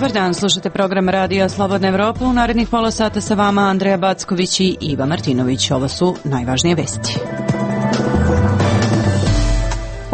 Dobar dan, slušate program Radija Slobodna Evropa. U narednih pola sata sa vama Andreja Backović i Iva Martinović. Ovo su najvažnije vesti.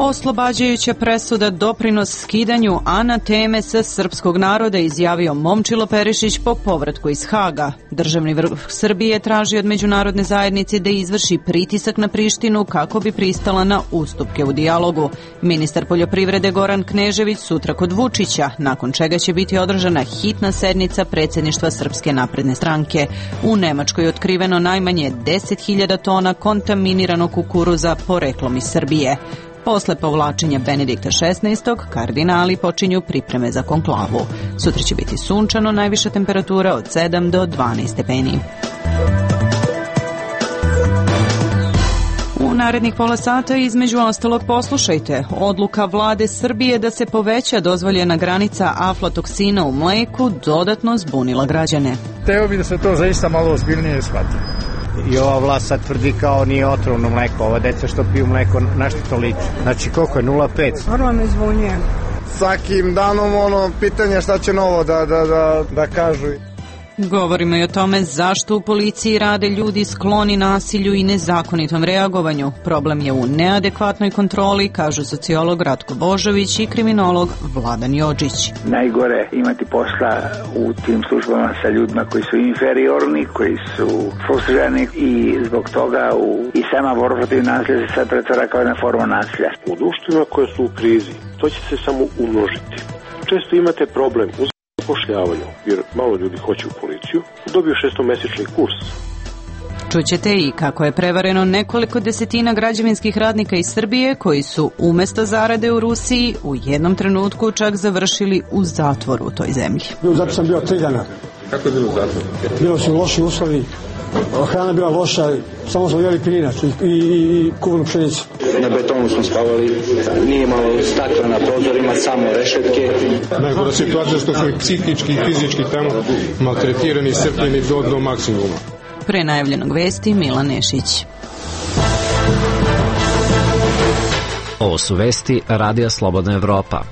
Oslobađajuća presuda doprinos skidanju anateme sa srpskog naroda, izjavio Momčilo Perišić po povratku iz Haga. Državni vrh Srbije traži od međunarodne zajednice da izvrši pritisak na Prištinu kako bi pristala na ustupke u dijalogu. Ministar poljoprivrede Goran Knežević sutra kod Vučića, nakon čega će biti održana hitna sednica predsjedništva Srpske napredne stranke. U Nemačkoj je otkriveno najmanje 10.000 tona kontaminiranog kukuruza poreklom iz Srbije. Posle povlačenja Benedikta XVI. Kardinali počinju pripreme za konklavu. Sutra će biti sunčano, najviša temperatura od 7 do 12 stepeni. U narednih pola sata između ostalog poslušajte. Odluka vlade Srbije da se poveća dozvoljena granica aflatoksina u mleku dodatno zbunila građane. Teo bi da se to zaista malo ozbiljnije shvati. I ova vlast sad tvrdi kao nije otrovno mleko. Ova deca što piju mleko, na što to liči? Znači koliko je? 0,5? Vrlo me zbunjuje. Svakim danom pitanje šta će novo da kažu. Govorimo i o tome zašto u policiji rade ljudi skloni nasilju i nezakonitom reagovanju. Problem je u neadekvatnoj kontroli, kažu sociolog Ratko Božović i kriminolog Vladan Jođić. Najgore imati posla u tim službama sa ljudima koji su inferiorni, koji su frustrirani i zbog toga i sama borba protiv nasilja se sad pretvara kao jedna forma nasilja. U društvima koje su u krizi, to će se samo umnožiti. Često imate problem u zapošljavanju, jer malo ljudi hoće u policiju, dobiju 6-mesečni kurs. Čućete i kako je prevareno nekoliko desetina građevinskih radnika iz Srbije koji su umesto zarade u Rusiji u jednom trenutku čak završili u zatvoru u toj zemlji. Zato sam bio 3 dana. Kako je bilo u zatvoru? Bilo su loši uslovi, hrana bila loša, samo smo jeli pirinac i kuvanu pšenicu. Na betonu smo spavali, nije malo stakla na prozorima, samo rešetke. Najgora situacija što su i psihički i fizički tamo maltretirani i strpljeni do maksimuma. Pre najavljenog vesti Milan Nešić. Ovo su vesti Radija Slobodna Evropa.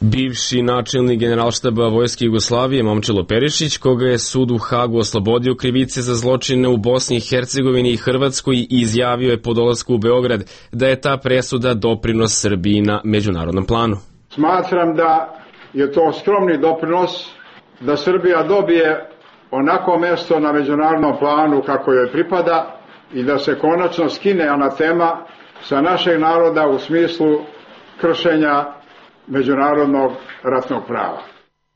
Bivši načelnik Generalštaba Vojske Jugoslavije Momčilo Perišić, koga je sud u Hagu oslobodio krivice za zločine u Bosni i Hercegovini i Hrvatskoj, izjavio je po dolasku u Beograd da je ta presuda doprinos Srbiji na međunarodnom planu. Smatram da je to skromni doprinos da Srbija dobije onako mesto na međunarodnom planu kako joj pripada i da se konačno skine anatema sa našeg naroda u smislu kršenja međunarodnog ratnog prava.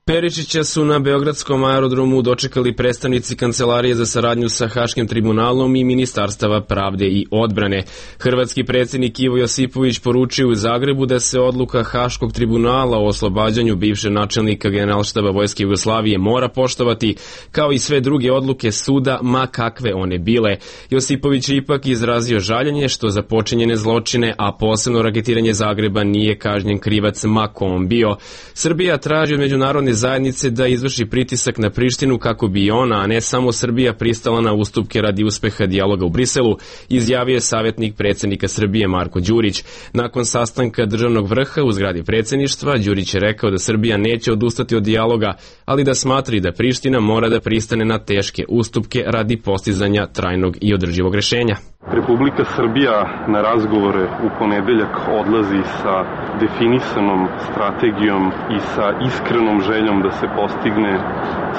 Perišića su na beogradskom aerodromu dočekali predstavnici Kancelarije za saradnju sa Haškim tribunalom i Ministarstava pravde i odbrane. Hrvatski predsjednik Ivo Josipović poručio u Zagrebu da se odluka Haškog tribunala o oslobađanju bivšeg načelnika Generalštaba Vojske Jugoslavije mora poštovati, kao i sve druge odluke suda, ma kakve one bile. Josipović je ipak izrazio žaljenje što za počinjene zločine, a posebno raketiranje Zagreba, nije kažnjen krivac ma ko on bio. Srbija traži od međunarodne zajednice da izvrši pritisak na Prištinu kako bi ona, a ne samo Srbija, pristala na ustupke radi uspeha dijaloga u Briselu, izjavio je savjetnik predsjednika Srbije Marko Đurić. Nakon sastanka državnog vrha u zgradi predsjedništva, Đurić je rekao da Srbija neće odustati od dijaloga, ali da smatra da Priština mora da pristane na teške ustupke radi postizanja trajnog i održivog rešenja. Republika Srbija na razgovore u ponedeljak odlazi sa definisanom strategijom i sa iskrenom željom da se postigne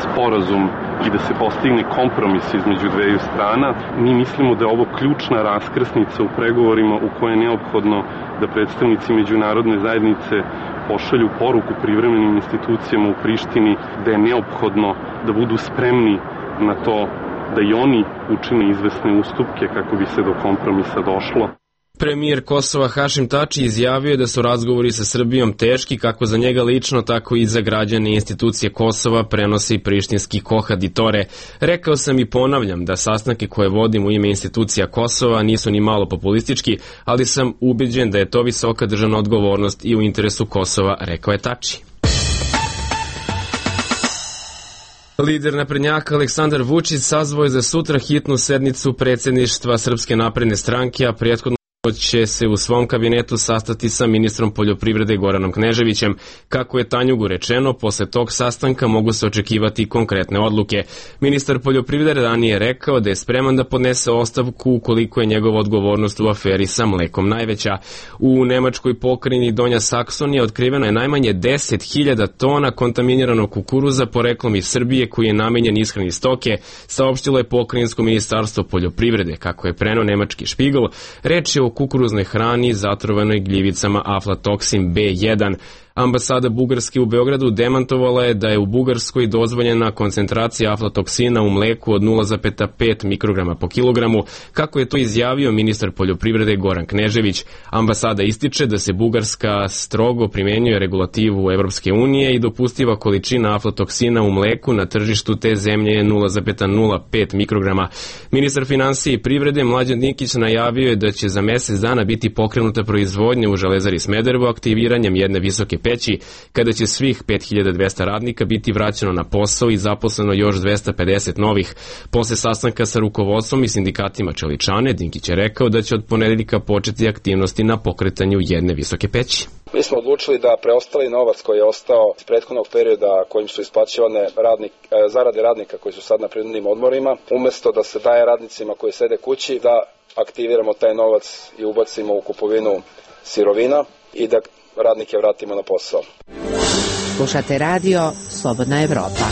sporazum i da se postigne kompromis između dveju strana. Mi mislimo da je ovo ključna raskrsnica u pregovorima u kojoj je neophodno da predstavnici međunarodne zajednice pošalju poruku privremenim institucijama u Prištini da je neophodno da budu spremni na to da i oni učine izvesne ustupke kako bi se do kompromisa došlo. Premijer Kosova Hašim Tači izjavio je da su razgovori sa Srbijom teški kako za njega lično, tako i za građane i institucije Kosova, prenose i prištinski kohaditore. Rekao sam i ponavljam da sastanke koje vodim u ime institucija Kosova nisu ni malo populistički, ali sam ubeđen da je to visoka državna odgovornost i u interesu Kosova, rekao je Tači. Lider naprednjaka Aleksandar Vučić sazvao je za sutra hitnu sednicu predsjedništva Srpske napredne stranke, a prethodno će se u svom kabinetu sastati sa ministrom poljoprivrede Goranom Kneževićem. Kako je Tanjugu rečeno, posle tog sastanka mogu se očekivati konkretne odluke. Ministar poljoprivrede ranije rekao da je spreman da podnese ostavku ukoliko je njegova odgovornost u aferi sa mlekom najveća. U nemačkoj pokrajini Donja Saksonija otkriveno je najmanje 10.000 tona kontaminiranog kukuruza poreklom iz Srbije koji je namenjen ishrani stoke, saopštilo je pokrajinsko ministarstvo poljoprivrede. Kako je preneo nemački Špigl, reč je o kukuruznoj hrani zatrovanoj gljivicama aflatoksin B1. Ambasada Bugarske u Beogradu demantovala je da je u Bugarskoj dozvoljena koncentracija aflatoksina u mleku od 0,5 mikrograma po kilogramu, kako je to izjavio ministar poljoprivrede Goran Knežević. Ambasada ističe da se Bugarska strogo primenjuje regulativu Evropske unije i dopustiva količina aflatoksina u mleku na tržištu te zemlje je 0,05 mikrograma. Ministar finansije i privrede Mlađan Dinkić najavio je da će za mesec dana biti pokrenuta proizvodnja u Železari Smederevo aktiviranjem jedne visoke peći, kada će svih 5200 radnika biti vraćeno na posao i zaposleno još 250 novih. Posle sastanka sa rukovodstvom i sindikatima čeličane, Dinkić je rekao da će od ponedeljka početi aktivnosti na pokretanju jedne visoke peći. Mi smo odlučili da preostali novac koji je ostao iz prethodnog perioda kojim su isplaćivane zarade radnika koji su sad na prinudnim odmorima, umesto da se daje radnicima koji sede kući, da aktiviramo taj novac i ubacimo u kupovinu sirovina i da radnike vratimo na posao. Slušate radio Slobodna Evropa.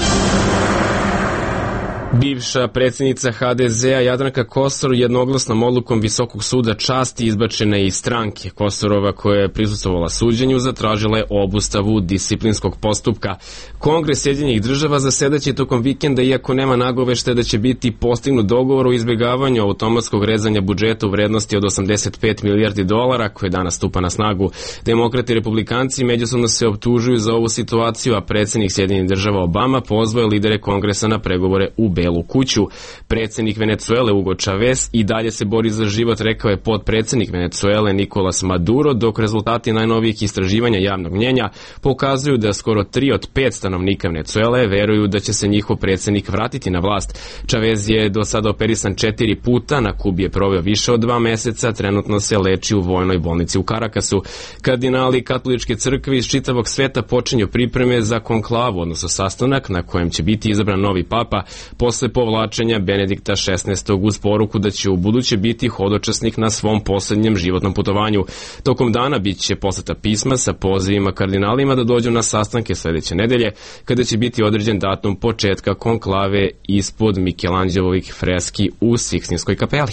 Bivša predsjednica HDZ-a Jadranka Kosor jednoglasnom odlukom Visokog suda časti izbačena iz stranke. Kosorova, koja je prisustvovala suđenju, zatražila je obustavu disciplinskog postupka. Kongres Sjedinjenih Država zasedaće tokom vikenda, iako nema nagoveštaja da će biti postignut dogovor o izbjegavanju automatskog rezanja budžeta u vrednosti od 85 milijardi dolara, koje danas stupa na snagu. Demokrati i republikanci međusobno se optužuju za ovu situaciju, a predsjednik Sjedinjenih Država Obama pozvao je lidere kongresa na pregovore u Belu kuću. Predsjednik Venecuele Hugo Chavez i dalje se bori za život, rekao je potpredsjednik Venecuele Nicolas Maduro, dok rezultati najnovijih istraživanja javnog mnjenja pokazuju da skoro 3 od 5 stanovnika Venecuele veruju da će se njihov predsjednik vratiti na vlast. Chavez je do sada operisan 4 puta, na Kubi je proveo više od 2 meseca, trenutno se leči u vojnoj bolnici u Karakasu. Kardinali katoličke crkve iz čitavog sveta počinju pripreme za konklavu, odnosno sastanak na kojem će biti izabran novi papa posle povlačenja Benedikta XVI uz poruku da će u buduće biti hodočasnik na svom posljednjem životnom putovanju. Tokom dana bit će poslata pisma sa pozivima kardinalima da dođu na sastanke sljedeće nedelje, kada će biti određen datum početka konklave ispod Mikelanđelovih freski u Sikstinskoj kapeli.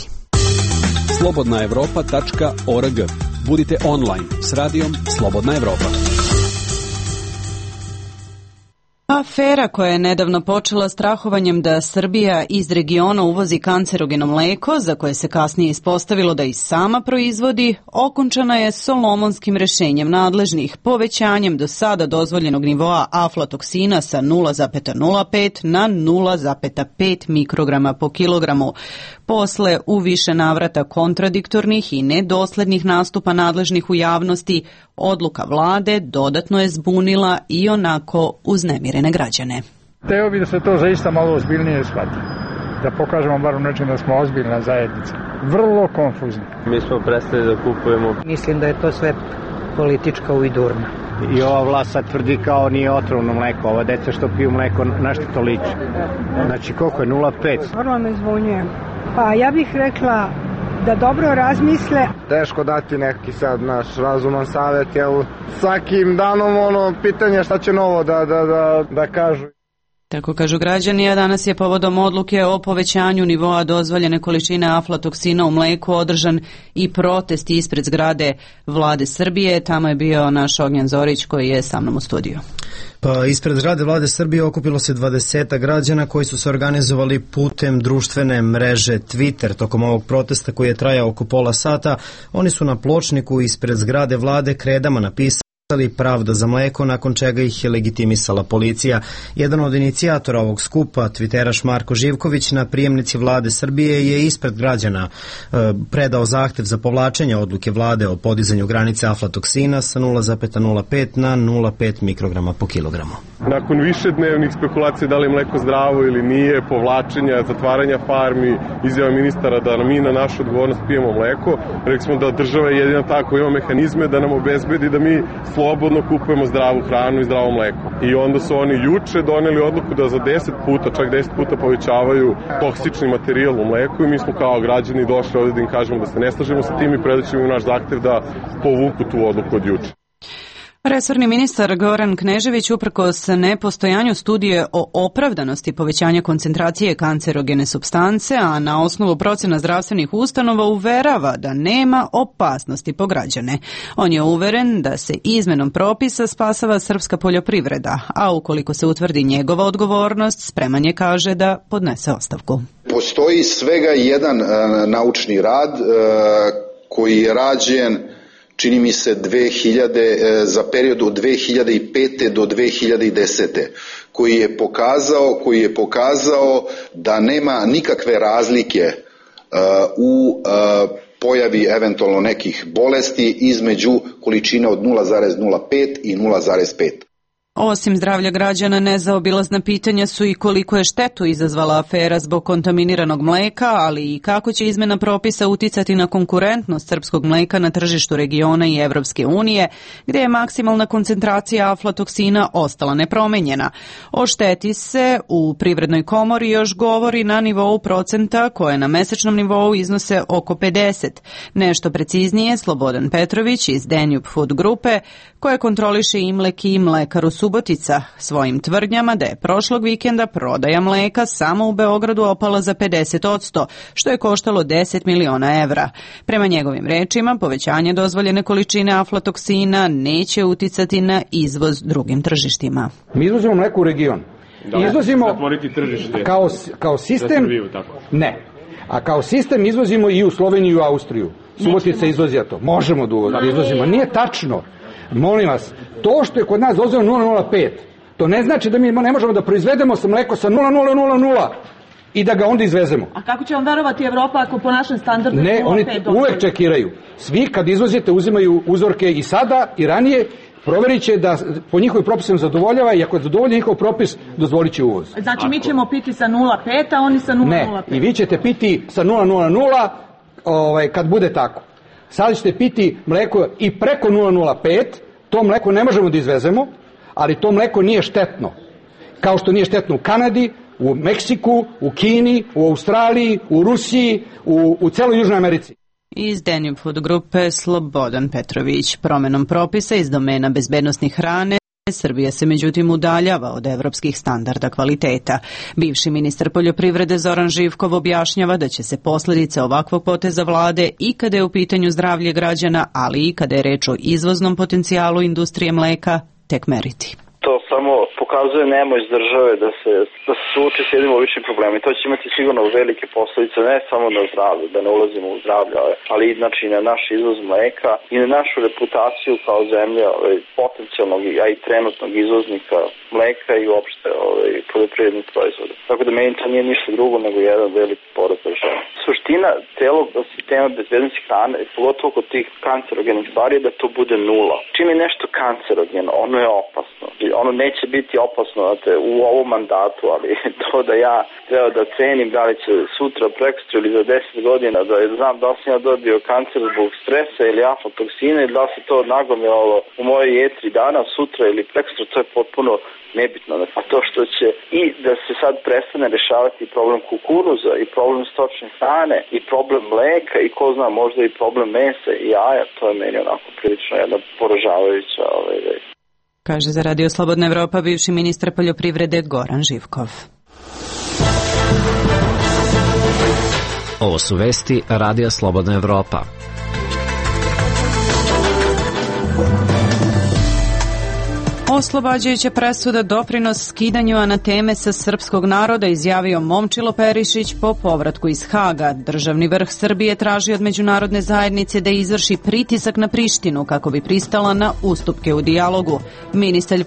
Slobodnaevropa.org. Budite online s radijom Slobodna Evropa. Afera koja je nedavno počela strahovanjem da Srbija iz regiona uvozi kancerogeno mleko, za koje se kasnije ispostavilo da i sama proizvodi, okončana je solomonskim rešenjem nadležnih, povećanjem do sada dozvoljenog nivoa aflatoksina sa 0,05 na 0,5 mikrograma po kilogramu. Posle u više navrata kontradiktornih i nedoslednih nastupa nadležnih u javnosti, odluka vlade dodatno je zbunila i onako uznemirene građane. Teo bi da se to zaista malo ozbiljnije shvati. Da pokažemo bar u nečem da smo ozbiljna zajednica. Vrlo konfuzni. Mi smo prestali da kupujemo. Mislim da je to sve politička ujdurna. I ova vlast sad tvrdi kao nije otrovno mleko. Ova deca što piju mleko, na što to liči? Znači koliko je 0,5? Vrlo me zbunjujem. Pa ja bih rekla da dobro razmisle. Teško dati neki sad naš razuman savjet, jel svakim danom pitanje šta će novo da kažu. Tako kažu građani, a danas je povodom odluke o povećanju nivoa dozvoljene količine aflatoksina u mleku održan i protest ispred zgrade Vlade Srbije. Tamo je bio naš Ognjan Zorić koji je sa mnom u studiju. Pa ispred zgrade Vlade Srbije okupilo se 20 građana koji su se organizovali putem društvene mreže Twitter. Tokom ovog protesta koji je trajao oko pola sata, oni su na pločniku ispred zgrade Vlade kredama napisali Pravda za mleko, nakon čega ih je legitimisala policija. Jedan od inicijatora ovog skupa, tviteraš Marko Živković, na prijemnici vlade Srbije je ispred građana predao zahtev za povlačenje odluke vlade o podizanju granice aflatoksina sa 0,05 na 0,5 mikrograma po kilogramu. Nakon višednevnih spekulacija da li je mleko zdravo ili nije, povlačenja, zatvaranja farmi, izjava ministara da mi na našu odgovornost pijemo mleko, rekli smo da država je jedina ta koja ima mehanizme da nam obezbedi da mi slobodno kupujemo zdravu hranu i zdravo mleko. I onda su oni juče doneli odluku da za 10 puta, čak 10 puta povećavaju toksični materijal u mleku i mi smo kao građani došli ovdje da im kažemo da se ne slažemo sa tim i predaćemo im naš zahtev da povuku tu odluku od juče. Resorni ministar Goran Knežević uprkos nepostojanju studije o opravdanosti povećanja koncentracije kancerogene supstance, a na osnovu procena zdravstvenih ustanova uverava da nema opasnosti po građane. On je uveren da se izmenom propisa spasava srpska poljoprivreda, a ukoliko se utvrdi njegova odgovornost, spreman je, kaže, da podnese ostavku. Postoji svega jedan naučni rad koji je rađen, čini mi se, za period od 2005. do 2010. koji je pokazao da nema nikakve razlike u pojavi eventualno nekih bolesti između količina od 0,05 i 0,5. Osim zdravlja građana, nezaobilazna pitanja su i koliko je štetu izazvala afera zbog kontaminiranog mleka, ali i kako će izmena propisa uticati na konkurentnost srpskog mleka na tržištu regiona i Evropske unije, gdje je maksimalna koncentracija aflatoksina ostala nepromenjena. O šteti se u Privrednoj komori još govori na nivou procenta koje na mesečnom nivou iznose oko 50. Nešto preciznije Slobodan Petrović iz Danube Food grupe, koje kontroliše Imlek i Mlekaru Subotica, svojim tvrdnjama da je prošlog vikenda prodaja mleka samo u Beogradu opala za 50%, što je koštalo 10 miliona evra. Prema njegovim rečima, povećanje dozvoljene količine aflatoksina neće uticati na izvoz drugim tržištima. Mi izvozimo mleko u region. Izvozimo kao sistem, ne, a kao sistem izvozimo i u Sloveniju i u Austriju. Subotica izvozija to. Možemo da izvozimo. Nije tačno. Molim vas, to što je kod nas dozvoljeno 0,05, to ne znači da mi ne možemo da proizvedemo mleko sa 0,000 i da ga onda izvezemo. A kako će vam verovati Evropa ako po našem standardu 0,5? Ne, oni uvek čekiraju. Svi kad izvozite uzimaju uzorke i sada i ranije, proverit će da po njihovim propisima zadovoljava i ako zadovolji njihov propis, dozvolit će uvoz. Znači mi ćemo piti sa 0,5, a oni sa 0,05? Ne, i vi ćete piti sa 0,00 kad bude tako. Sad ćete piti mleko i preko 0,05, to mleko ne možemo da izvezemo, ali to mleko nije štetno. Kao što nije štetno u Kanadi, u Meksiku, u Kini, u Australiji, u Rusiji, u celoj Južnoj Americi. Iz Danube Food grupe Slobodan Petrović. Promenom propisa iz domena bezbednosnih hrane Srbija se međutim udaljava od evropskih standarda kvaliteta. Bivši ministar poljoprivrede Zoran Živkov objašnjava da će se posljedice ovakvog poteza vlade i kada je u pitanju zdravlje građana, ali i kada je reč o izvoznom potencijalu industrije mleka, tek meriti. To samo pokazuje nemoć države da se suoči s jednim običnim problemom i to će imati sigurno velike posljedice ne samo na zdravlje, da ne ulazimo u zdravlje, ali znači na naš izvoz mleka i na našu reputaciju kao zemlja potencijalnog, a i trenutnog izvoznika mleka i uopšte poljoprivrednih proizvoda. Tako da meni to nije ništa drugo nego jedan veliki poraz države. Suština celog sistema bezbednosti hrane, pogotovo kod tih kancerogenih stvari, je da to bude nula. Čim je nešto kancerogeno, ono je opasno. Ono neće biti opasno u ovom mandatu, ali to da ja treba da cenim da li će sutra, prekosutra ili za 10 godina da znam da sam ja dobio kancer zbog stresa ili aflatoksina ili da se to nagomilalo u mojoj jetri danas, sutra ili prekosutra, to je potpuno nebitno. A to što će i da se sad prestane rešavati problem kukuruza i problem stočne hrane i problem mleka i ko zna možda i problem mesa i jaja, to je meni onako prilično jedna poražavajuća već. Kaže za Radio Slobodna Evropa bivši ministar poljoprivrede Goran Živkov. Ovo su vesti Radija Slobodna Evropa. Oslobađajuća presuda doprinos skidanju anateme sa srpskog naroda izjavio Momčilo Perišić po povratku iz Haga. Državni vrh Srbije traži od međunarodne zajednice da izvrši pritisak na Prištinu kako bi pristala na ustupke u dijalogu. Ministar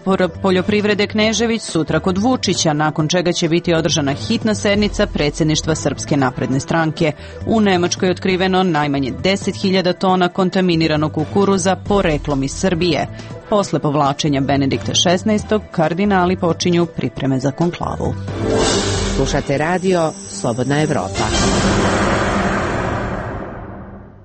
poljoprivrede Knežević sutra kod Vučića, nakon čega će biti održana hitna sednica predsjedništva Srpske napredne stranke. U Nemačkoj je otkriveno najmanje 10.000 tona kontaminiranog kukuruza poreklom iz Srbije. Posle povlačenja Benedikta XVI. Kardinali počinju pripreme za konklavu. Slušate radio Slobodna Evropa.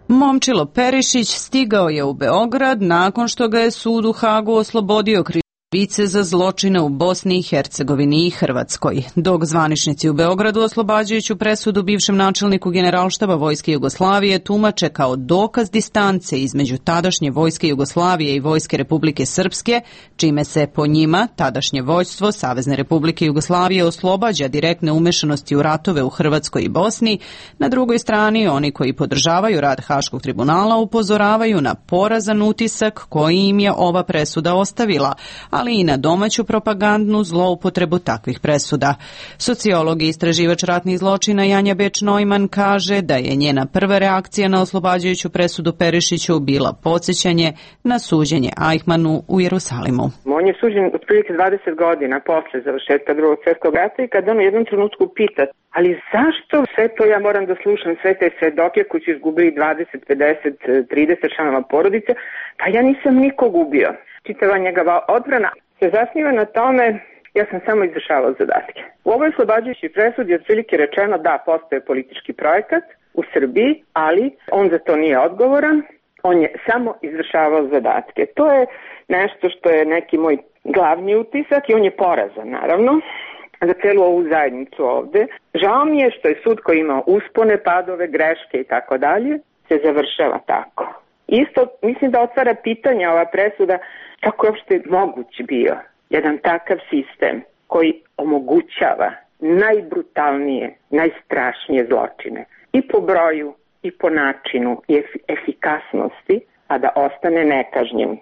Momčilo Perišić stigao je u Beograd nakon što ga je sud u Hagu oslobodio krivice za zločine u Bosni i Hercegovini i Hrvatskoj. Dok zvaničnici u Beogradu oslobađajuću presudu bivšem načelniku Generalštaba Vojske Jugoslavije tumače kao dokaz distance između tadašnje Vojske Jugoslavije i Vojske Republike Srpske, čime se po njima tadašnje vođstvo Savezne Republike Jugoslavije oslobađa direktne umešanosti u ratove u Hrvatskoj i Bosni, na drugoj strani oni koji podržavaju rad Haškog tribunala upozoravaju na porazan utisak koji im je ova presuda ostavila, ali i na domaću propagandnu zloupotrebu takvih presuda. Sociolog i istraživač ratnih zločina Janja Beč-Neumann kaže da je njena prva reakcija na oslobađajuću presudu Perišiću bila podsjećanje na suđenje Eichmannu u Jerusalimu. On je suđen otprilike 20 godina posle završetka Drugog svjetskog rata i kad on u jednom trenutku pita, ali zašto sve to ja moram da slušam, sve te svedoke koji su izgubili 20, 50, 30 članova porodice, pa ja nisam nikog ubio. Čitava njegova odbrana se zasniva na tome, ja sam samo izvršavao zadatke. U ovoj oslobađajućoj presudi je otprilike rečeno da postoje politički projekat u Srbiji, ali on za to nije odgovoran, on je samo izvršavao zadatke. To je nešto što je neki moj glavni utisak i on je porazan, naravno, za celu ovu zajednicu ovde. Žao mi je što je sud koji ima uspone, padove, greške i tako dalje, se završava tako. Isto mislim da otvara pitanje ova presuda kako je uopšte moguć bio jedan takav sistem koji omogućava najbrutalnije, najstrašnije zločine i po broju i po načinu i efikasnosti, a da ostane nekažnjen.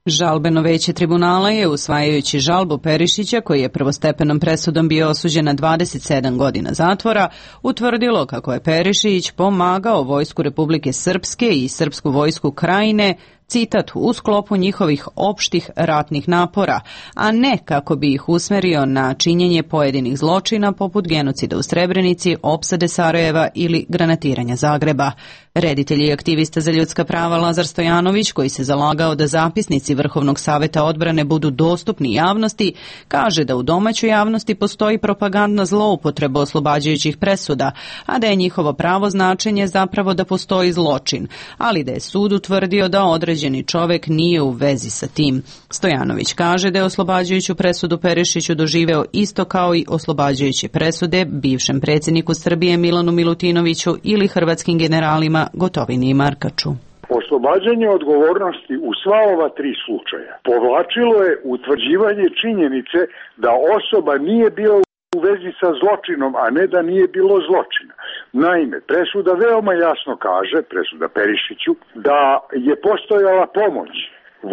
Žalbeno veće tribunala je, usvajajući žalbu Perišića, koji je prvostepenom presudom bio osuđen na 27 godina zatvora, utvrdilo kako je Perišić pomagao Vojsku Republike Srpske i Srpsku vojsku Krajine, citat, u sklopu njihovih opštih ratnih napora, a ne kako bi ih usmerio na činjenje pojedinih zločina poput genocida u Srebrenici, opsade Sarajeva ili granatiranja Zagreba. Reditelj i aktivista za ljudska prava Lazar Stojanović, koji se zalagao da zapisnici Vrhovnog saveta odbrane budu dostupni javnosti, kaže da u domaćoj javnosti postoji propagandna zloupotreba oslobađajućih presuda, a da je njihovo pravo značenje zapravo da postoji zločin, ali da je sud utvrdio da određeni čovek nije u vezi sa tim. Stojanović kaže da je oslobađajuću presudu Perišiću doživeo isto kao i oslobađajuće presude bivšem predsjedniku Srbije Milanu Milutinoviću ili hrvatskim generalima Gotovini i Markaču. Oslobađanje odgovornosti u sva ova tri slučaja povlačilo je utvrđivanje činjenice da osoba nije bila u vezi sa zločinom, a ne da nije bilo zločina. Naime, presuda veoma jasno kaže, presuda Perišiću, da je postojala pomoć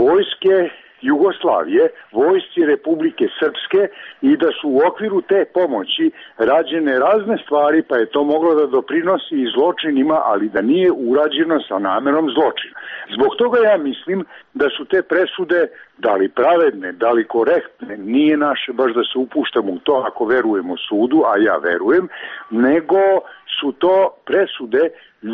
vojske Jugoslavije, vojsci Republike Srpske i da su u okviru te pomoći rađene razne stvari, pa je to moglo da doprinosi i zločinima, ali da nije urađeno sa namerom zločina. Zbog toga ja mislim da su te presude da li pravedne, da li korektne, nije naše baš da se upuštamo u to ako verujemo sudu, a ja verujem, nego su to presude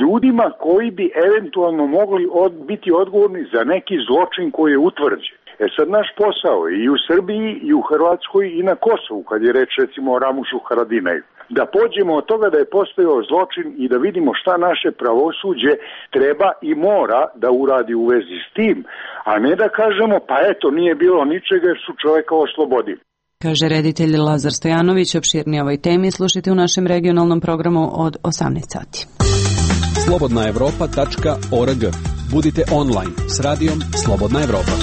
ljudima koji bi eventualno mogli biti odgovorni za neki zločin koji je utvrđen. Sad naš posao je i u Srbiji i u Hrvatskoj i na Kosovu, kad je reč recimo o Ramušu Haradinaju, da pođemo od toga da je postojao zločin i da vidimo šta naše pravosuđe treba i mora da uradi u vezi s tim, a ne da kažemo pa eto nije bilo ničega jer su čoveka oslobodili. Kaže reditelj Lazar Stojanović. Opširnije ovoj temi slušajte u našem regionalnom programu od 18 sati. slobodnaevropa.org. Budite online s radijom Slobodna Evropa.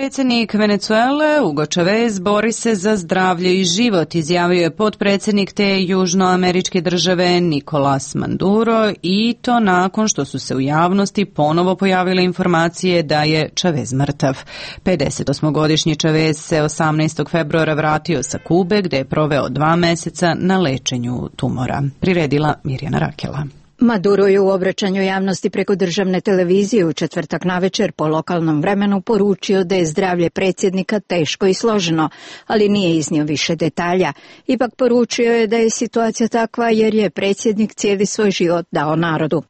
Predsjednik Venecuele Hugo Chavez bori se za zdravlje i život, izjavio je potpredsjednik te južnoameričke države Nicolás Maduro, i to nakon što su se u javnosti ponovo pojavile informacije da je Chavez mrtav. 58-godišnji Chavez se 18. februara vratio sa Kube, gde je proveo 2 meseca na lečenju tumora. Priredila Mirjana Rakela. Maduro je u obraćanju javnosti preko državne televizije u četvrtak navečer po lokalnom vremenu poručio da je zdravlje predsjednika teško i složeno, ali nije iznio više detalja. Ipak poručio je da je situacija takva jer je predsjednik cijeli svoj život dao narodu.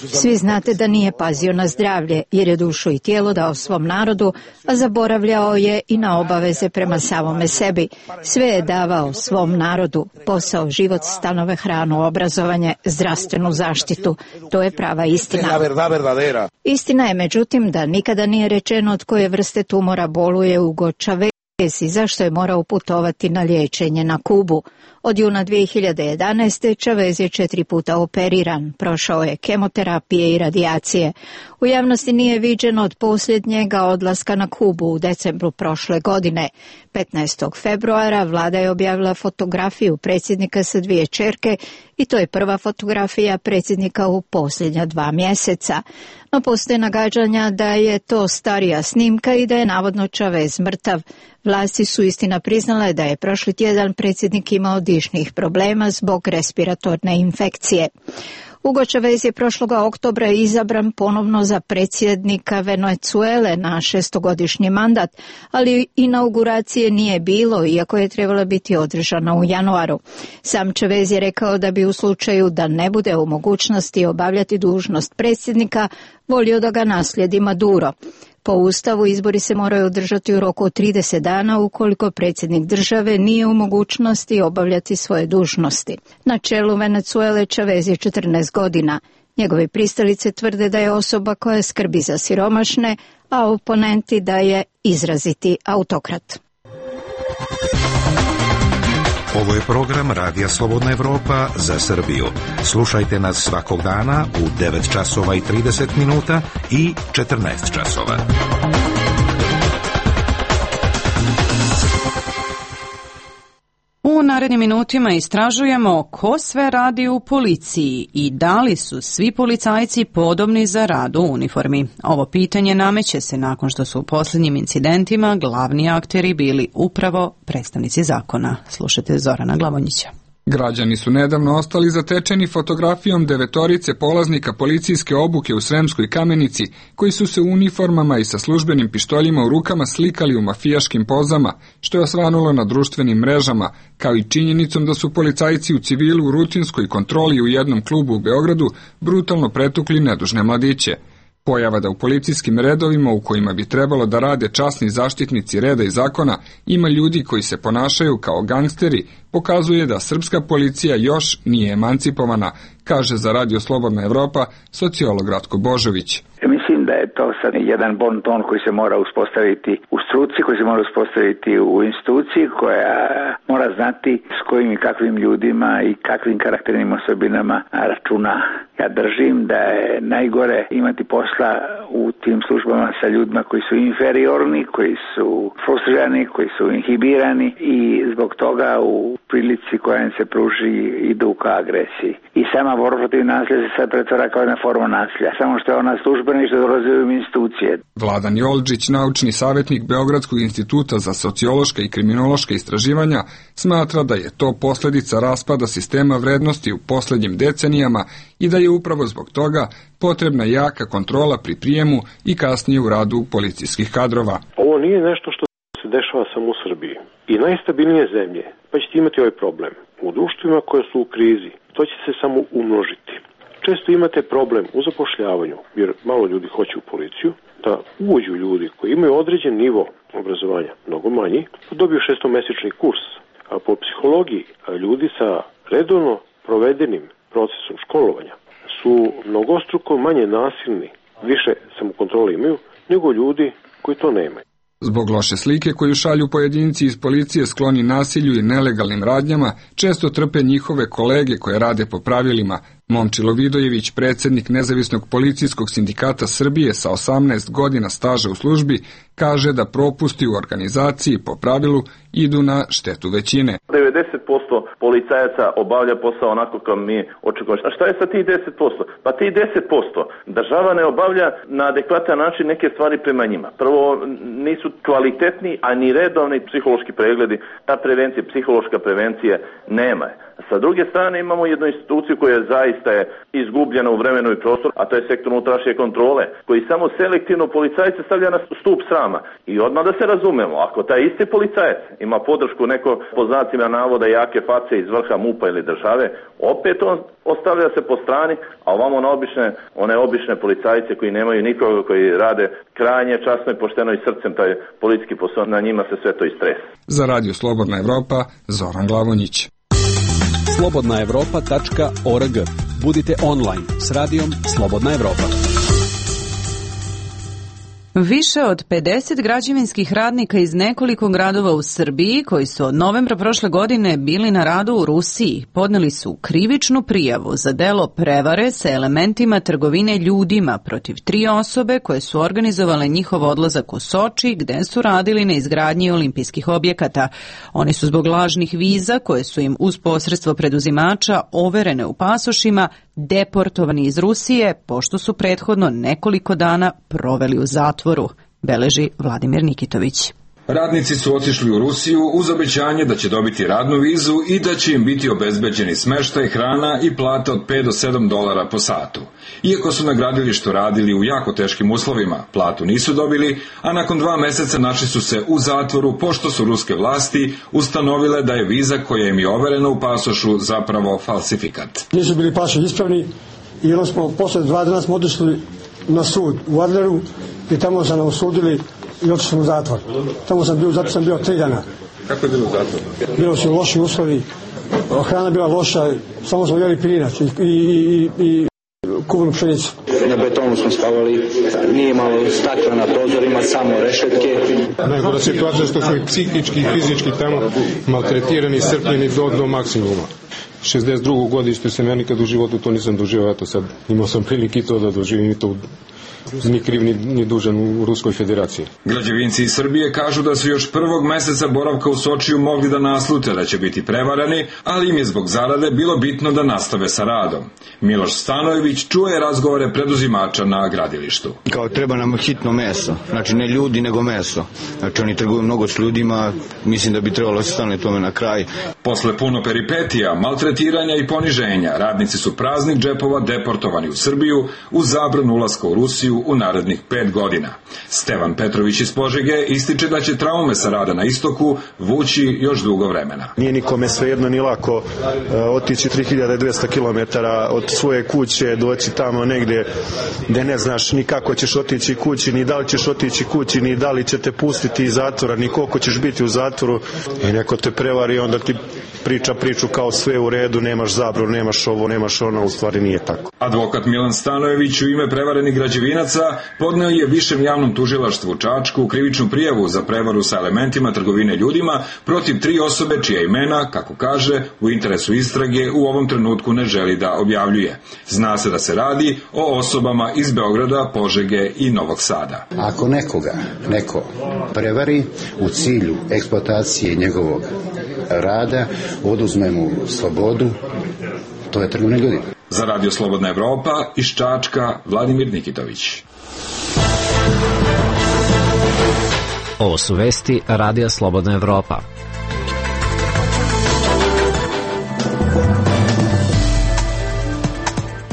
Svi znate da nije pazio na zdravlje, jer je dušu i tijelo dao svom narodu, a zaboravljao je i na obaveze prema samome sebi. Sve je davao svom narodu, posao, život, stanove, hranu, obrazovanje, zdravstvenu zaštitu. To je prava istina. Istina je, međutim, da nikada nije rečeno od koje vrste tumora boluje Hugo Chavez i zašto je morao putovati na liječenje na Kubu. Od juna 2011. Chavez je 4 puta operiran, prošao je kemoterapije i radijacije. U javnosti nije viđen od posljednjega odlaska na Kubu u decembru prošle godine. 15. februara vlada je objavila fotografiju predsjednika sa 2 ćerke i to je prva fotografija predsjednika u posljednja 2 mjeseca. No postoje nagađanja da je to starija snimka i da je navodno Chavez mrtav. Vlasti su istina priznale da je prošli tjedan predsjednik imao dišnih problema zbog respiratorne infekcije. Hugo Chavez je prošloga oktobra izabran ponovno za predsjednika Venecuele na 6-godišnji mandat, ali inauguracije nije bilo, iako je trebala biti održana u januaru. Sam Chavez je rekao da bi u slučaju da ne bude u mogućnosti obavljati dužnost predsjednika, volio da ga naslijedi Maduro. Po Ustavu izbori se moraju održati u roku od 30 dana ukoliko predsjednik države nije u mogućnosti obavljati svoje dužnosti. Na čelu Venecuele Chavez je 14 godina. Njegovi pristalice tvrde da je osoba koja skrbi za siromašne, a oponenti da je izraziti autokrat. Ovo je program Radija Slobodna Evropa za Srbiju. Slušajte nas svakog dana u 9 časova i 30 minuta i 14 časova. U narednim minutima istražujemo ko sve radi u policiji i da li su svi policajci podobni za rad u uniformi. Ovo pitanje nameće se nakon što su u posljednjim incidentima glavni akteri bili upravo predstavnici zakona. Slušajte Zorana Glavonjića. Građani su nedavno ostali zatečeni fotografijom 9 polaznika policijske obuke u Sremskoj Kamenici, koji su se u uniformama i sa službenim pištoljima u rukama slikali u mafijaškim pozama, što je osvanulo na društvenim mrežama, kao i činjenicom da su policajci u civilu u rutinskoj kontroli u jednom klubu u Beogradu brutalno pretukli nedužne mladiće. Pojava da u policijskim redovima u kojima bi trebalo da rade časni zaštitnici reda i zakona ima ljudi koji se ponašaju kao gangsteri, pokazuje da srpska policija još nije emancipovana, kaže za Radio Slobodna Evropa sociolog Ratko Božović. Mislim da je to sad jedan bon ton koji se mora uspostaviti u struci, koji se mora uspostaviti u instituciji, koja mora znati s kojim i kakvim ljudima i kakvim karakternim osobinama računa. Ja držim da je najgore imati posla u tim službama sa ljudima koji su inferiorni, koji su frustrirani, koji su inhibirani i zbog toga u prilici koja im se pruži idu ka agresiji. I sama borba protiv nasilja se sad pretvara kao jedna forma nasilja, samo što je ona službena i što dolazi u institucije. Vladan Jolčić, naučni savjetnik Beogradskog instituta za sociološka i kriminološka istraživanja, smatra da je to posljedica raspada sistema vrednosti u posljednjim decenijama i da je upravo zbog toga potrebna jaka kontrola pri prijemu i kasnije u radu policijskih kadrova. Ovo nije nešto što se dešava samo u Srbiji. I najstabilnije zemlje pa ćete imati ovaj problem. U društvima koje su u krizi, to će se samo umnožiti. Često imate problem u zapošljavanju, jer malo ljudi hoće u policiju, da uđu ljudi koji imaju određen nivo obrazovanja, mnogo manji, dobiju 6-mesečni kurs. A po psihologiji ljudi sa redovno provedenim procesom školovanja su mnogostruko manje nasilni, više samokontrole imaju, nego ljudi koji to nemaju. Zbog loše slike koju šalju pojedinci iz policije skloni nasilju i nelegalnim radnjama, često trpe njihove kolege koje rade po pravilima, Momčilo Vidojević, predsjednik Nezavisnog policijskog sindikata Srbije sa 18 godina staža u službi, kaže da propusti u organizaciji po pravilu idu na štetu većine. 90% policajaca obavlja posao onako kao mi očekujemo. A šta je sa tih 10%? Pa tih 10% država ne obavlja na adekvatan način neke stvari prema njima. Prvo, nisu kvalitetni, a ni redovni psihološki pregledi. Ta prevencija, psihološka prevencija nema. Sa druge strane imamo jednu instituciju koja zaista je izgubljena u vremenu i prostoru, a to je sektor unutrašnje kontrole, koji samo selektivno policajce stavlja na stup srama. I odmah da se razumemo, ako taj isti policajac ima podršku neko po znacima navoda jake face iz vrha MUP-a ili države, opet on ostavlja se po strani, a ovamo na one obične policajce koji nemaju nikoga, koji rade krajnje časno i pošteno i srcem taj policijski posao, na njima se sve to istresa. Za Radio Slobodna Evropa, Zoran Glavonjić. slobodnaevropa.org. Budite online s radijom Slobodna Evropa. Više od 50 građevinskih radnika iz nekoliko gradova u Srbiji, koji su od novembra prošle godine bili na radu u Rusiji, podneli su krivičnu prijavu za delo prevare sa elementima trgovine ljudima protiv 3 osobe koje su organizovale njihov odlazak u Soči, gde su radili na izgradnji olimpijskih objekata. Oni su zbog lažnih viza, koje su im uz posredstvo preduzimača overene u pasošima, deportovani iz Rusije, pošto su prethodno nekoliko dana proveli u zatvoru, beleži Vladimir Nikitović. Radnici su otišli u Rusiju uz obećanje da će dobiti radnu vizu i da će im biti obezbeđeni smeštaj, hrana i plata od $5 do $7 po satu. Iako su na gradilištu radili u jako teškim uslovima, platu nisu dobili, a nakon 2 meseca našli su se u zatvoru pošto su ruske vlasti ustanovile da je viza koja im je overena u pasošu zapravo falsifikat. Nisu bili pasoši ispravni i onda smo posle 2 dana smo otišli na sud u Adleru i tamo su nam osudili i otišli smo u zatvor. Tamo sam bio 3 dana. Kako je bilo u zatvoru? Bilo su loši uslovi, hrana bila loša, samo smo jeli pirinac i kuvanu pšenicu. Na betonu smo spavali, nije malo stakla na prozorima, samo rešetke. Najgora situacija što smo i psihički i fizički tamo maltretirani, iscrpljeni do maksimuma. 62. godište sam ja nikad u životu to nisam doživio, eto sad imao sam prilike i to da doživim i to ni kriv ni dužan u Ruskoj federaciji. Građevinci iz Srbije kažu da su još 1. meseca boravka u Sočiju mogli da naslute da će biti prevarani, ali im je zbog zarade bilo bitno da nastave sa radom. Miloš Stanojević čuje razgovore preduzimača na gradilištu. Kao treba nam hitno meso, znači ne ljudi nego meso. Znači oni trguju mnogo s ljudima, mislim da bi trebalo se stane tome na kraj. Posle puno peripetija, maltretiranja i poniženja, radnici su praznih džepova deportovani u Srbiju uz zabranu ulaska u Rusiju u narednih 5 godina. Stevan Petrović iz Požege ističe da će traume sa rada na istoku vući još dugo vremena. Nije nikome svejedno ni lako otići 3200 km od svoje kuće, doći tamo negde gde ne znaš ni kako ćeš otići kući, ni da li ćeš otići kući, ni da li će te pustiti iz zatvora, ni koliko ćeš biti u zatvoru i neko te prevari, onda ti priča priču kao sve u redu, nemaš zabranu, nemaš ovo, nemaš ono, u stvari nije tako. Advokat Milan Stanojević u ime prevarenih građevinaca podneo je Višem javnom tužilaštvu u Čačku krivičnu prijavu za prevaru sa elementima trgovine ljudima protiv 3 osobe čija imena, kako kaže, u interesu istrage u ovom trenutku ne želi da objavljuje. Zna se da se radi o osobama iz Beograda, Požege i Novog Sada. Ako neko prevari u cilju eksploatacije njegovog rada, oduzme mu slobodu, to je trgovina ljudima. Za Radio Slobodna Evropa iz Čačka, Vladimir Nikitović. Ovo su vesti Radija Slobodna Evropa.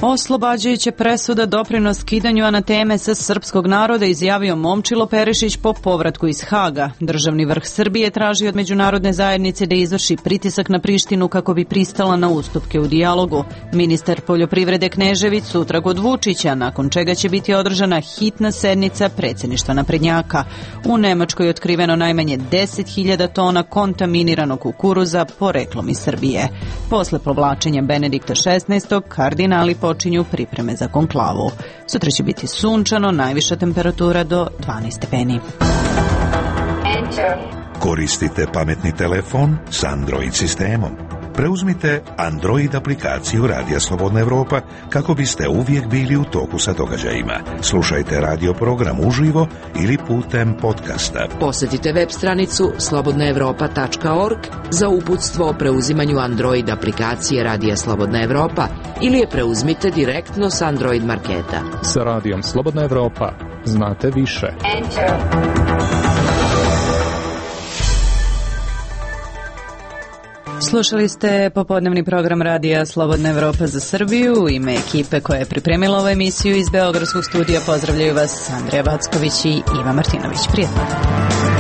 Oslobađajuća presuda doprinos skidanju anateme sa srpskog naroda izjavio Momčilo Perišić po povratku iz Haga. Državni vrh Srbije traži od međunarodne zajednice da izvrši pritisak na Prištinu kako bi pristala na ustupke u dijalogu. Ministar poljoprivrede Knežević sutra kod Vučića, nakon čega će biti održana hitna sednica predsjedništva naprednjaka. U Nemačkoj je otkriveno najmanje 10.000 tona kontaminiranog kukuruza poreklom iz Srbije. Posle povlačenja Benedikta XVI. Kardinali počinju pripreme za konklavu. Sutra će biti sunčano, najviša temperatura do 12 stepeni. Koristite pametni telefon s Android sistemom. preuzmite Android aplikaciju Radija Slobodna Evropa kako biste uvijek bili u toku sa događajima. Slušajte radio program uživo ili putem podcasta. Posjetite web stranicu slobodnaevropa.org za uputstvo o preuzimanju Android aplikacije Radija Slobodna Evropa ili je preuzmite direktno s Android marketa. Sa Radijom Slobodna Evropa znate više. Slušali ste popodnevni program Radija Slobodna Evropa za Srbiju. U ime ekipe koja je pripremila ovu emisiju iz Beogradskog studija pozdravljaju vas Andreja Backović i Iva Martinović. Prijetno.